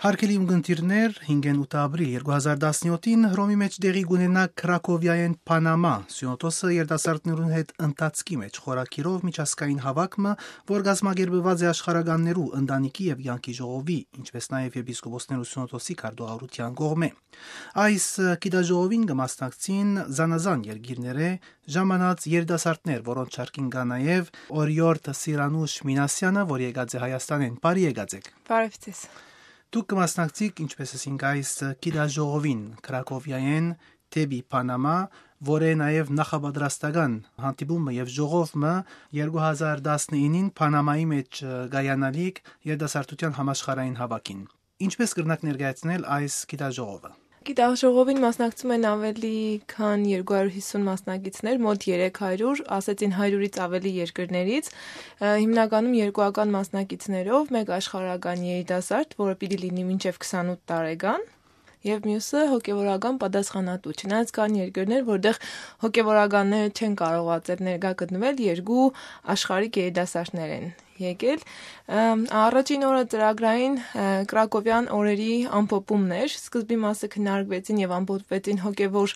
Հարգելի ունկնդիրներ, 5-8 ապրիլ 2017-ին Հռոմի մեջ դեղի կունենա Քրակովիայեն Պանամա Սյունոթոսը երիտասարդներուն հետ ընթացքի մեջ խորակիրով միջազգային հավաքումը, որ գազմագերբված է աշխարհականներու ընտանիքի եւ յանքի ժողովի, ինչպես նաեւ եպիսկոպոսներու Սյունոթոսի քարտուղարության կողմէ։ Այս գիտաժողովին կմասնակցին զանազան երկիրները ժամանած երիտասարդներ, որոնց շարքին կա նաեւ Օրիորդ Սիրանուշ Մինասյանը, որ եկած է Հայաստանեն։ Բարի եկածեք։ Բարև ձեզ։ Դուք կմասնակցիք, ինչպես ասինք, այս գիտաժողովին Քրակովիայեն Թեբի Պանամա, որը նաև նախապատրաստական հանդիպումը եւ ժողովը 2019-ին Պանամայի մեջ գայանալիք երիտասարդության համաշխարհային հավաքին։ Ինչպես կրնակ ներկայացնել այս գիտաժողովը։ Գիտաժողովին մասնակցում են ավելի քան 250 մասնակիցներ, մոտ 300, ասեցին 100-ից ավելի երկրներից, հիմնականում երկուական մասնակիցներով, մեկ աշխարհական երիտասարդ, որը պիտի լինի մինչև 28 տարեկան, եւ մյուսը հոգեվորական պատասխանատու։ Չնայած կան երկրներ, որտեղ հոգեվորականները չեն կարողացել ներկա գտնվել, երկու աշխարհիկ երիտասարդներ են եկել։ Առաջին օրը ծրագրային Կրակովյան օրերի ամփոփումներ, սկզբի մասը քննարկվեցին եւ ամփոփվեցին հոգեվոր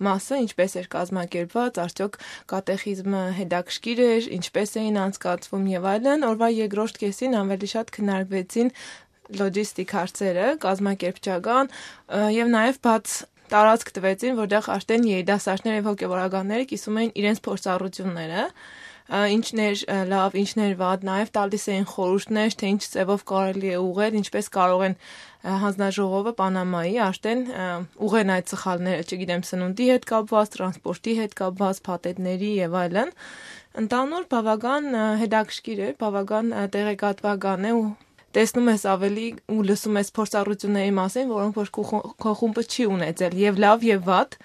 մասը, ինչպես էր կազմակերպված, արդյոք կատեխիզմը հետաքրքիր էր, ինչպես էին անցկացվում եւ այլն։ Օրվա երկրորդ կեսին ավելի շատ քննարկվեցին լոջիստիկ հարցերը, կազմակերպչական եւ նաեւ բաց տարածք տվեցին, որտեղ արդեն երիտասարդներ եւ հոգեվորականները կիսում էին իրենց փորձառությունները, ինչն էր լավ, ինչն էր վատ, նաեւ տալիս էին խորհուրդներ, թե ինչ ձևով կարելի է ուղղել, ինչպես կարող են հանձնաժողովը Պանամայի արդեն ուղղեն այդ սխալները, չգիտեմ, սնունդի հետ կապված, տրանսպորտի հետ կապված, փաթեթների եւ այլն։ Ընդհանուր բավական հետաքրքիր է, բավական տեղեկատվական է ու տեսնում ես ավելի ու լսում ես փորձառությունների մասին, որոնք որ քո խումբը չի ունեցել, եւ լավ եւ վատ,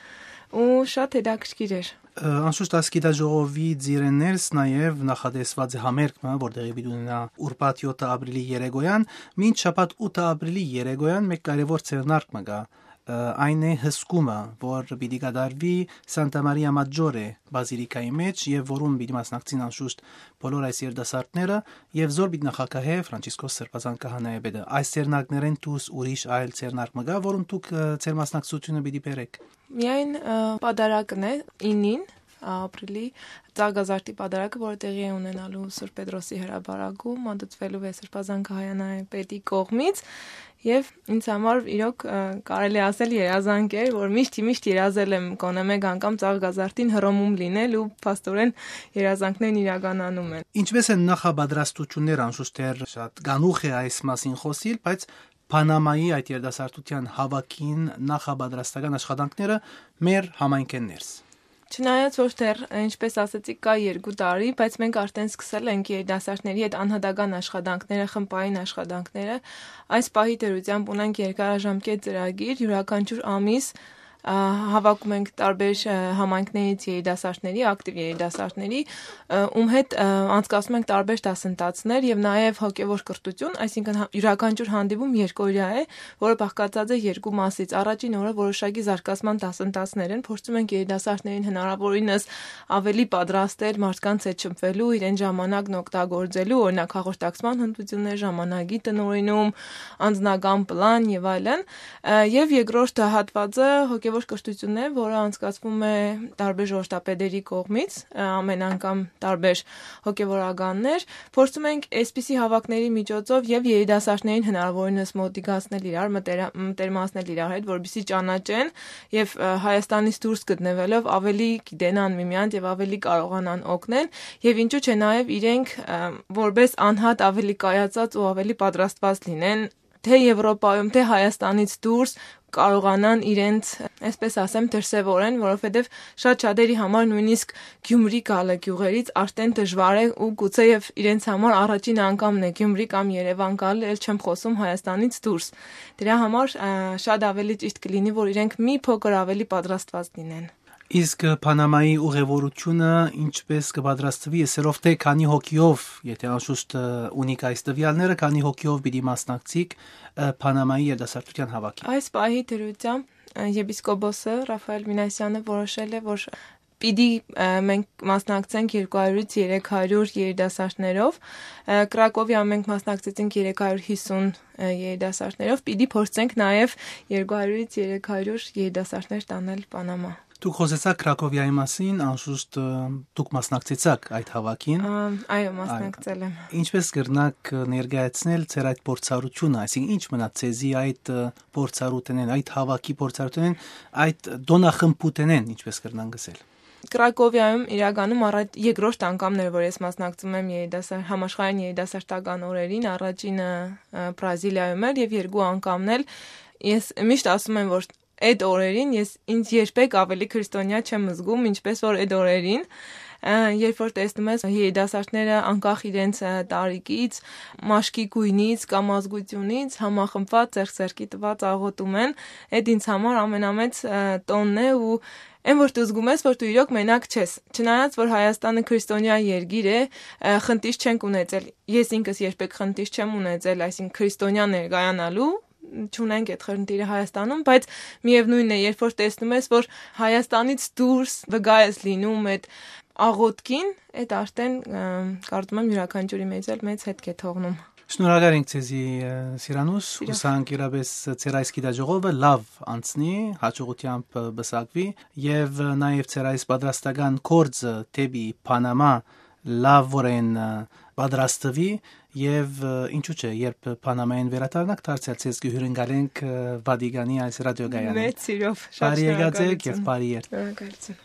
ու շատ հետաքրքիր էր։ Անշուշտ այս գիտաժողովի ձիրներս նաև նախատեսված է համերգը, որտեղի պիտի ունենա ուրբաթ 7 ապրիլի երեկոյան, մինչ շաբաթ 8 ապրիլի երեկոյան մեկ կարևոր ցերնարկը կա։ Այն է հսկումը, որ պիտի կատարվի Սանտա Մարիա Մաջորե բազիլիկայի մեջ եւ որում պիտի մասնակցին անշուշտ բոլոր այս երիտասարդները եւ զոր պիտի նախագահե Ֆրանցիսկոս Սրբազան քահանայապետը։ Այս ցերնակներեն դուս ուրիշ այլ ցերնարկը կա, որում դուք ցեր մասնակցությունը պիտի բերեք։ Միայն պատարակն է 9-ին ապրիլի Ծաղկազարդի պատարակը, որը տեղի է ունենալու Սուրբ Պետրոսի հրապարակում, մատուցվելու է Սրբազան քահանայապետի կողմից, եւ ինձ համար իրոք կարելի ասել երազանք էր, որ միշտ երազել եմ գոնե մեկ անգամ Ծաղկազարդին Հռոմում լինել ու փաստորեն երազանքներն իրականանում են։ Ինչպես են նախապատրաստությունները, անշուշտ շատ գանուխ է այս մասին խոսիլ, բայց Պանամայի այդ երիտասարդության հավաքին նախապատրաստական աշխատանքները մեր համայնքներս։ Չնայած որ դեռ, ինչպես ասացիք, կա 2 տարի, բայց մենք արդեն սկսել ենք երիտասարդների հետ անհատական աշխատանքները, խմբային աշխատանքները։ Այս պահի դերությամբ ունենք երկարաժամկետ ծրագիր, յուրաքանչյուր ամիս հավաքում ենք տարբեր համայնքներից երիտասարդների, ակտիվ երիտասարդների, ում հետ անցկացնում ենք տարբեր դասընթացներ եւ նաեւ հոգեվոր կրթություն, այսինքն յուրաքանչյուր հանդիպում երկօրյա է, որը բաղկացած է 2 մասից։ Առաջին օրը որոշակի զարգացման դասընթացներ են, փորձում ենք երիտասարդներին հնարավորինս ավելի պատրաստել մարդկանց հետ շփվելու, իրեն ժամանակն օգտագործելու, օրինակ հաղորդակցման հմտություններ, ժամանակի տնօրինում, անձնական պլան եւ այլն, եւ երկրորդ հատվածը հոգեվոր կրթությունն է, որը անցկացվում է տարբեր ժողովրդապետերի կողմից, ամեն անգամ տարբեր հոգեվորականներ, փորձում ենք այսպիսի հավաքների միջոցով եւ երիտասարդներին հնարավորինս մոտիկացնել իրար, մտերմացնել իրար հետ, որպեսզի ճանաչեն եւ Հայաստանից դուրս գտնվելով ավելի գիտենան միմյանց եւ ավելի կարողանան օգնել եւ ինչու՞ չէ նաեւ իրենք որպես անհատ ավելի կայացած ու ավելի պատրաստված լինեն թե Եվրոպայում, թե Հայաստանից դուրս կարողանան իրենց, այսպես ասեմ, դրսևորեն, որովհետև շատ-շատերի համար նույնիսկ Գյումրի գալը գյուղերից արդեն դժվար է ու գուցե եւ իրենց համար առաջին անգամն է Գյումրի կամ Երևան գալը, ել չեմ խոսում Հայաստանից դուրս։ Դրա համար շատ ավելի ճիշտ կլինի, որ իրենք մի փոքր ավելի պատրաստված լինեն։ Իսկ Պանամայի ուղևորությունը ինչպես կպատրաստվի, այսերով թե քանի հոգիով, եթե անշուշտ ունիք այս տվյալները, քանի հոգիով պիտի մասնակցիկ Պանամայի երիտասարդության հավաքին։ Այս պահի դրությամբ եպիսկոպոսը Ռաֆայել Մինասյանը որոշել է, որ պիտի մենք մասնակցենք 200-ից 300 երիտասարդներով, Կրակովիա մենք մասնակցեցինք 350 երիտասարդներով, պիտի փորձենք նաև 200-ից 300 երիտասարդներ տանել Պանամա։ Դուք խոսեցաք Կրակովիայի մասին, անշուշտ դուք մասնակցեցաք այդ հավաքին։ Այո, մասնակցել եմ։ Ինչպես կրնակ ներկայացնել ձեր այդ փորձառությունը, այսինքն ինչ մնաց ցեզի այդ փորձառութենեն, այդ հավաքի փորձառութենեն, այդ դոնախմբութենեն, ինչպես կրնան գսել։ Կրակովիայում իրականում երկրորդ անգամն էր, որ ես մասնակցում եմ համաշխարհային երիտասարդական օրերին, առաջինը Բրազիլիայում էր եւ երկու անգամն էլ ես միշտ ասում եմ, որ այդ օրերին ես ինձ երբեք ավելի քրիստոնյա չեմ զգում, ինչպես որ այդ օրերին, երբ որ տեսնում ես երիտասարդները անկախ իրենց տարիքից, մաշկի գույնից կամ ազգությունից համախմբված ձեռք-ձեռքի տված աղոթում են, այդ ինձ համար ամենամեծ տոնն է ու այն որ դու զգում ես, որ դու իրոք մենակ չես։ Չնայած որ Հայաստանը քրիստոնյա երկիր է, խնդիր չենք ունեցել։ Ես ինքս երբեք խնդիր չեմ ունեցել, այսինքն քրիստոնյա ներկայանալու չունենք այդ խնդիրը Հայաստանում, բայց միևնույնն է, երբ որ տեսնում ես, որ Հայաստանից դուրս վգա ես լինում այդ աղոթքին, այդ արդեն կարծում եմ յուրաքանչյուրի մեծ հետք է թողնում։ Շնորհակալ ենք ձեզի Սիրանուս, հուսանք իրապես ձեր այս գիտաժողովը լավ անցնի, հաջողությամբ բսակվի եւ նաեւ ձեր այս պատրաստական կորձը դեպի Պանամա լավորեն պատրաստվի եւ ինչու՞ չէ, երբ Պանամային վերադառնաք, դարձյալ ցեզ կհյուրընկալենք Վատիկանի այս ռադիոգայանին։ Մեծ սիրով, շատ շնորհակալ եմ եւ բարի երթ։ Շնորհակալություն։